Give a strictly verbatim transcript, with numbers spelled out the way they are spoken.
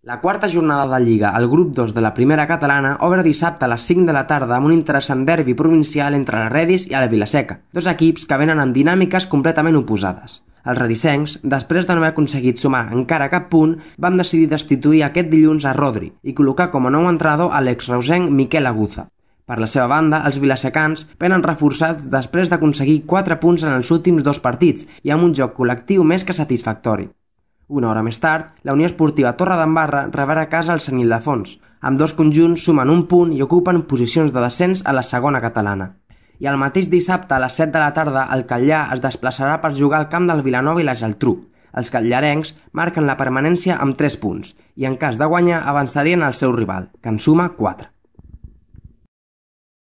La quarta jornada de Lliga al grup dos de la primera catalana obre dissabte a les cinc de la tarda amb un interessant derbi provincial entre la Redis i el Vilaseca, dos equips que venen amb dinàmiques completament oposades. Els redisencs, després de no haver aconseguit sumar encara cap punt, van decidir destituir aquest dilluns a Rodri i col·locar com a nou entrenador a l'exreusenc Miquel Aguza. Per la seva banda, els vilasecans venen reforçats després d'aconseguir quatre punts en els últims dos partits i amb un joc col·lectiu més que satisfactori. Una hora més tard, la Unió Esportiva Torredembarra rebrà a casa el Sant Ildefons. Ambdós conjunts sumen un punt i ocupen posicions de descens a la segona catalana. I el mateix dissabte a les set de la tarda el Catllar es desplaçarà per jugar al camp del Vilanova i la Geltrú. Els catllarencs marquen la permanència amb tres punts i en cas de guanyar avançarien al seu rival, que en suma quatre.